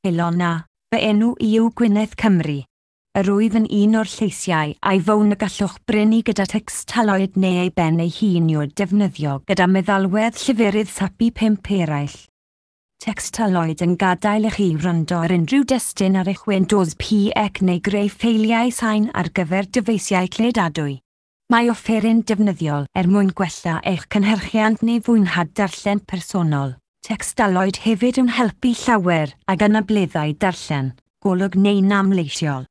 Helo 'na, fy enw i yw Gwyneth Cymru. Yr wyf yn un o'r lleisiau iPhone y gallwch brynu gyda Textaloid neu ei ben ei hun i'w defnyddio gyda meddalwedd lleferydd SAPI 5 eraill. Textaloid yn gadael i chi wrando ar unrhyw destun ar eich Windows PC neu greu ffeiliau sain ar gyfer dyfeisiau cludadwy. Mae offeryn defnyddiol er mwyn gwella eich cynhyrchiant neu fwynhad darllen personol. Textaloid hefyd yn helpu llawer ag anableddau darllen, golwg neu nam leisiol.